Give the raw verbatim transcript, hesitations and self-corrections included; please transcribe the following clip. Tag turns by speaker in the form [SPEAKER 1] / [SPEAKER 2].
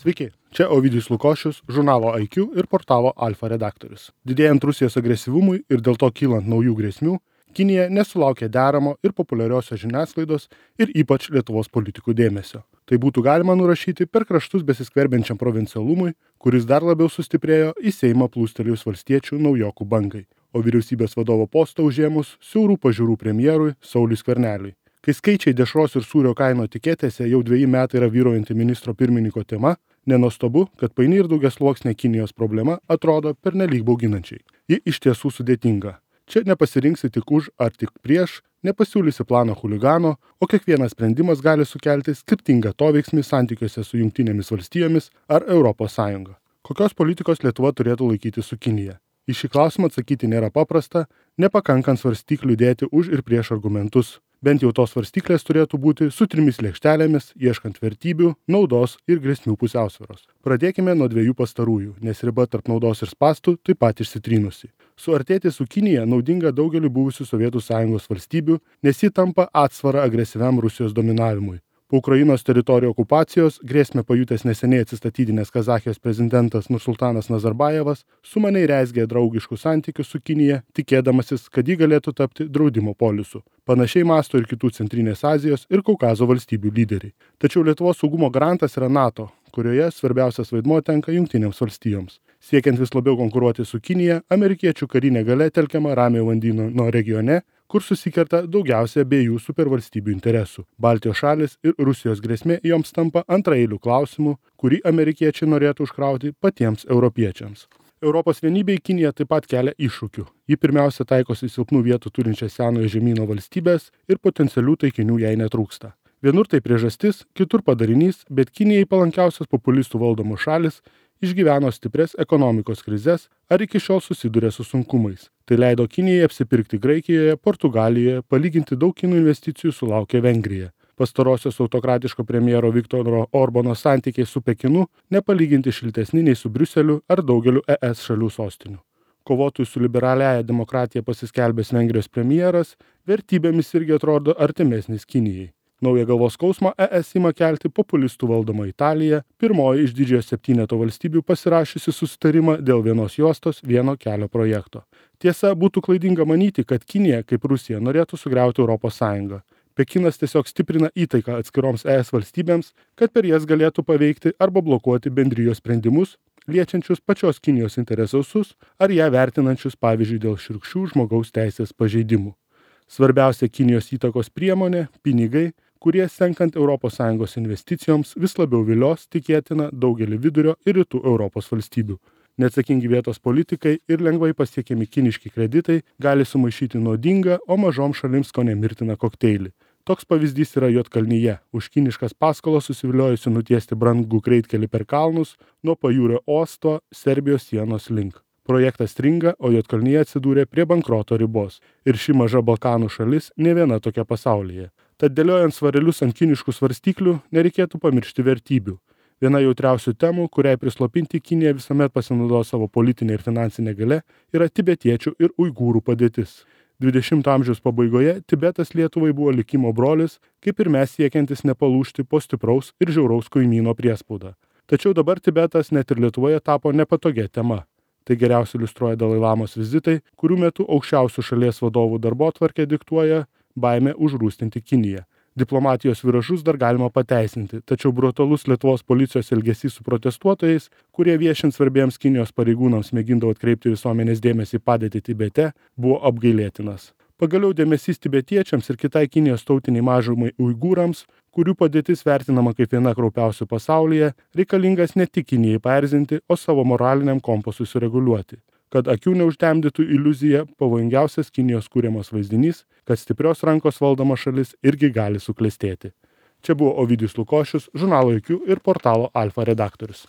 [SPEAKER 1] Sveiki, čia Ovidijus Lukošius, žurnalo I Q ir portalo Alfa redaktorius. Didėjant Rusijos agresyvumui ir dėl to kylant naujų grėsmių, Kinija nesulaukė deramo ir populiariosios žiniasklaidos ir ypač Lietuvos politikų dėmesio. Tai būtų galima nurašyti per kraštus besiskverbiančiam provincialumui, kuris dar labiau sustiprėjo į Seimą plūstelėjus valstiečių naujokų bangai, o vyriausybės vadovo postą užėmus siaurų pažiūrų premjerui Sauliui Skverneliui. Kai skaičiai dešros ir sūrio kaino etiketėse jau dveji metai yra vyruojanti ministro pirmininko tema, nenuostabu, kad paini ir daugiasluoksnė Kinijos problema atrodo pernelyg bauginančiai. Ji iš tiesų sudėtinga. Čia nepasirinksi tik už ar tik prieš, nepasiūlysi plano chuligano, o kiekvienas sprendimas gali sukelti skirtingą atoveiksmį santykiuose su Jungtinėmis valstijomis ar Europos Sąjunga. Kokios politikos Lietuva turėtų laikyti su Kinija? Į šį klausimą atsakyti nėra paprasta, nepakankant svarstyklių dėti už ir prieš argumentus. Bent jau tos svarstyklės turėtų būti su trimis lėkštelėmis, ieškant vertybių, naudos ir grėsmių pusiausvyros. Pradėkime nuo dviejų pastarųjų, nes riba tarp naudos ir spąstų taip pat išsitrynusi. Suartėti su Kinija naudinga daugeliu buvusių Sovietų Sąjungos valstybių, nes ji tampa atsvara agresyviam Rusijos dominavimui. Po Ukrainos teritorijų okupacijos grėsmę pajutęs neseniai atsistatydinęs Kazachijos prezidentas Nursultanas Nazarbajevas sumaniai rezgė draugiškus santykius su Kinija, tikėdamasis, kad ji galėtų tapti draudimo polisu. Panašiai mąsto ir kitų Centrinės Azijos ir Kaukazo valstybių lyderiai. Tačiau Lietuvos saugumo garantas yra NATO, kurioje svarbiausias vaidmuo tenka Jungtinėms valstijoms. Siekiant vis labiau konkuruoti su Kinija, amerikiečių karinė galia telkiama Ramiojo vandenyno regione, kur susikerta daugiausia abiejų supervalstybių interesų. Baltijos šalis ir Rusijos grėsmė joms tampa antraeilių klausimų, kurį amerikiečiai norėtų užkrauti patiems europiečiams. Europos vienybei Kinija taip pat kelia iššūkių. Ji pirmiausia taikosi silpnų vietų turinčias senojo žemyno valstybės ir potencialių taikinių jai netrūksta. Vienur tai priežastis, kitur padarinys, bet Kinijai palankiausios populistų valdomos šalis išgyveno stipres ekonomikos krizes ar iki šiol susiduria su sunkumais. Tai leido Kinijai apsipirkti Graikijoje, Portugalijoje, palyginti daug kinų investicijų sulaukė Vengrija. Pastarosios autokratiško premjero Viktoro Orbano santykiai su Pekinu nepalyginti šiltesni nei su Briuseliu ar daugeliu E S šalių sostinių. Kovotojų su liberaliaja demokratija pasiskelbęs Vengrijos premjeras vertybėmis irgi atrodo artimesnis Kinijai. Naują galvos skausmą E S ima kelti populistų valdoma Italija, pirmoji iš didžiojo septyneto valstybių pasirašiusi susitarimą dėl vienos juostos vieno kelio projekto. Tiesa, būtų klaidinga manyti, kad Kinija, kaip Rusija, norėtų sugriauti Europos Sąjungą. Pekinas tiesiog stiprina įtaiką atskiroms E S valstybėms, kad per jas galėtų paveikti arba blokuoti bendrijos sprendimus, liečiančius pačios Kinijos interesus ar ją vertinančius, pavyzdžiui, dėl šiurkščių žmogaus teisės pažeidimų. Svarbiausia Kinijos įtakos priemonė – pinigai, kurie senkant Europos Sąjungos investicijoms vis labiau vilios tikėtina daugelį vidurio ir rytų Europos valstybių. Neatsakingi vietos politikai ir lengvai pasiekiami kiniški kreditai gali sumaišyti nuodingą, o mažom šalims kone mirtiną kokteilį. Toks pavyzdys yra Juodkalnyje, už kiniškas paskolas susiviliojusi nutiesti brangų greitkelį per kalnus nuo pajūrio uosto Serbijos sienos link. Projektas stringa, o Juodkalnyje atsidūrė prie bankroto ribos. Ir ši maža Balkanų šalis ne viena tokia pasaulyje. Tad dėliojant svarelius ant kiniškų svarstyklių, nereikėtų pamiršti vertybių. Viena jautriausių temų, kuriai prislopinti Kinija visuomet pasinaudojo savo politinę ir finansinę galią, yra tibetiečių ir uigūrų padėtis. dvidešimto amžiaus pabaigoje Tibetas Lietuvai buvo likimo brolis, kaip ir mes siekiantis nepalūžti po stipraus ir žiauraus kaimyno priespaudą. Tačiau dabar Tibetas net ir Lietuvoje tapo nepatogia tema. Tai geriausiai iliustruoja Dalai Lamos vizitai, kurių metu aukščiausių šalies vadovų darbotvarkę diktuoja baimė užrūstinti Kiniją. Diplomatijos viražus dar galima pateisinti, tačiau brutalus Lietuvos policijos elgesys su protestuotojais, kurie viešint svarbiems Kinijos pareigūnams mėgindavo atkreipti visuomenės dėmesį į padėtį Tibete, buvo apgailėtinas. Pagaliau dėmesys tibetiečiams ir kitai Kinijos tautiniai mažumai uigūrams, kurių padėtis vertinama kaip viena kraupiausių pasaulyje, reikalingas ne tik Kinijai paerzinti, o savo moraliniam kompasui sureguliuoti. Kad akių neužtemdytų iliuzija, pavojingiausias Kinijos kūriamas vaizdinys, kad stiprios rankos valdoma šalis irgi gali suklestėti. Čia buvo Ovidijus Lukošius, žurnalo I Q ir portalo Alfa redaktorius.